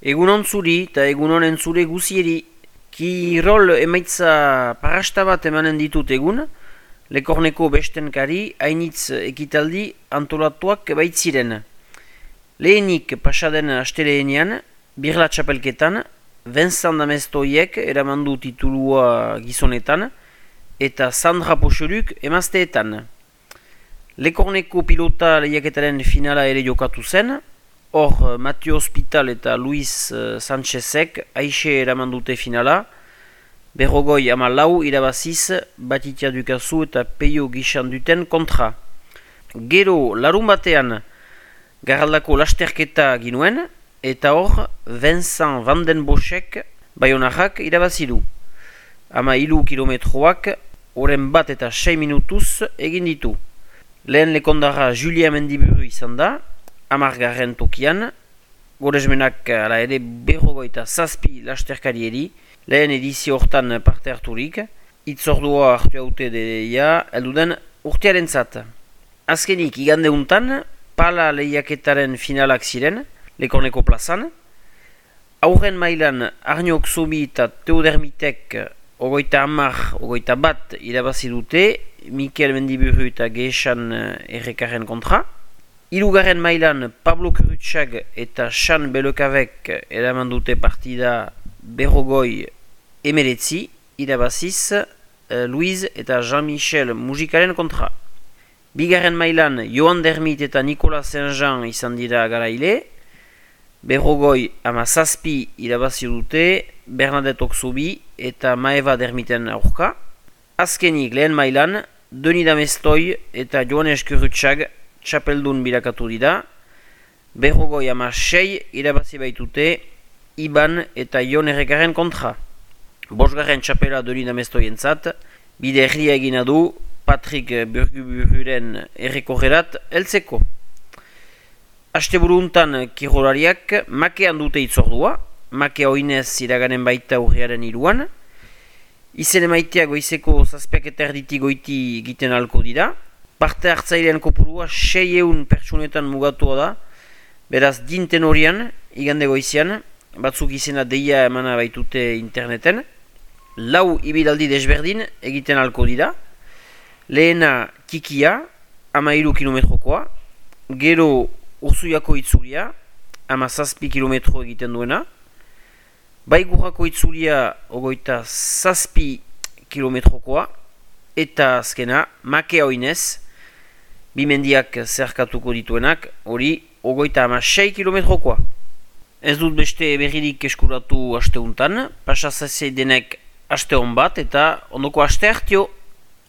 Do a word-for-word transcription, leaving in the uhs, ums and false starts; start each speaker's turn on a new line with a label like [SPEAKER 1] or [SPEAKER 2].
[SPEAKER 1] Egunon zuri eta egunon entzule guzieri. Kirol emaitza parasta bat emanen ditut egun, Lekorneko bestenkari hainitz ekitaldi antolatuak baitziren. Lehenik pasaden asteleenean, birla txapelketan, Vincent Damestoiek eramandu titulua gizonetan, eta Sandra Poxoluk emazteetan. Lekorneko pilota lehiaketaren finala ere jokatu zen, hor Mathieu Hospital eta Luis Sanchezek aixe eramandute finala, berrogoi ama lau irabaziz Batitia Dukazu eta Peio Gixan duten kontra. Gero larun batean garraldako lasterketa ginuen, eta hor Vincent Van den Boschek Bayonarrak irabazidu. Ama hiru kilometroak oren bat eta sei minutuz egin ditu. Lehen lekondarra Julia Mendiburu izan da, amargarren tokian, goresmenak ala ere berrogoita zazpi lasterkarieri, lehen edizio hortan parte harturik, itzordua hartu haute deia elduden urtearen zat. Azkenik, igande untan, pala lehiaketaren finalak ziren, Lekorneko plazan, aurren mailan Arniok Zobi eta Teodermitek ogoita amar, ogoita bat irabazi dute, Mikel Mendiburu eta Geesan errekarren kontra. Hirugarren mailan Pablo Kurutxag eta Xan Belokavek eraman dute partida berrogoi emeretzi, irabaziz uh, Luiz eta Jean-Michel Mujikaren kontra. Bigarren mailan Joan Dermit eta Nicolas Saint-Jean izan dira garaile, berrogoi ama zazpi irabazi dute Bernadette Okzobi eta Maeva Dermiten aurka. Azkenik lehen mailan Denis Damestoi eta Joanes Kurutxag txapeldun bilakatu dira, berrogoi ama sei irabazi baitute Iban eta Ion errekaren kontra. Bosgarren txapela Denis Damestoien zat, bide erria egina du Patrick Burgubururen errekorrerat heltzeko. Asteburu untan kirolariak makean dute itzordua, makea oinez iraganen baita urriaren iruan, izen emaitea goizeko zazpiak eta erditi goiti egiten alko dira, parte hartzailean kopurua seieun pertsunetan mugatua da, beraz dinten horian, igande goizian, batzuk izena deia emana baitute interneten, lau ibilaldi desberdin egiten alko dira, lehena Kikia, ama hiru kilometrokoa, gero Urzuiako itzulia, ama zazpi kilometro egiten duena, Baigurrako itzulia ogoita zazpi kilometrokoa, eta azkena makea oinez, bimendiak zerkatuko dituenak, hori ogoita ama sei kilometrokoa. Ez dut beste berririk eskuratu asteuntan, pasazazei denek aste hon bat, eta ondoko aste hartio.